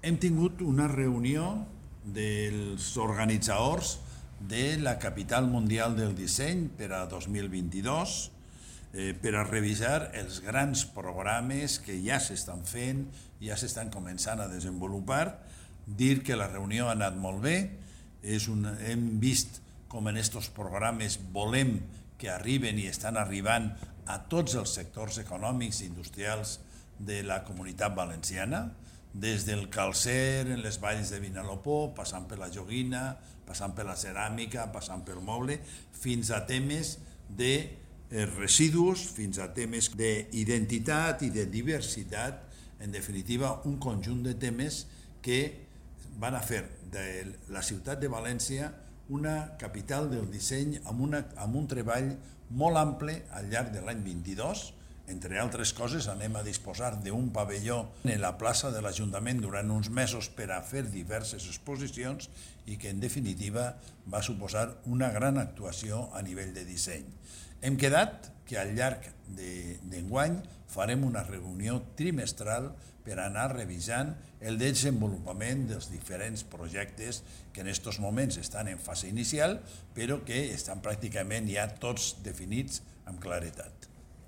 Hem tingut una reunió dels organitzadors de la Capital Mundial del Disseny per a 2022 per a revisar els grans programes que ja s'estan fent, ja s'estan començant a desenvolupar. Dir que la reunió ha anat molt bé, hem vist com en aquests programes volem que arriben i estan arribant a tots els sectors econòmics i industrials de la Comunitat Valenciana, des del calcer en les valls de Vinalopó, passant per la joguina, passant per la ceràmica, passant pel moble, fins a temes de residus, fins a temes d'identitat i de diversitat, en definitiva un conjunt de temes que van a fer de la ciutat de València una capital del disseny amb un treball molt ample al llarg de l'any 22. Entre altres coses, anem a disposar d'un pavelló en la plaça de l'Ajuntament durant uns mesos per a fer diverses exposicions i que, en definitiva, va suposar una gran actuació a nivell de disseny. Hem quedat que al llarg d'enguany farem una reunió trimestral per anar revisant el desenvolupament dels diferents projectes que en aquests moments estan en fase inicial, però que estan pràcticament ja tots definits amb claretat.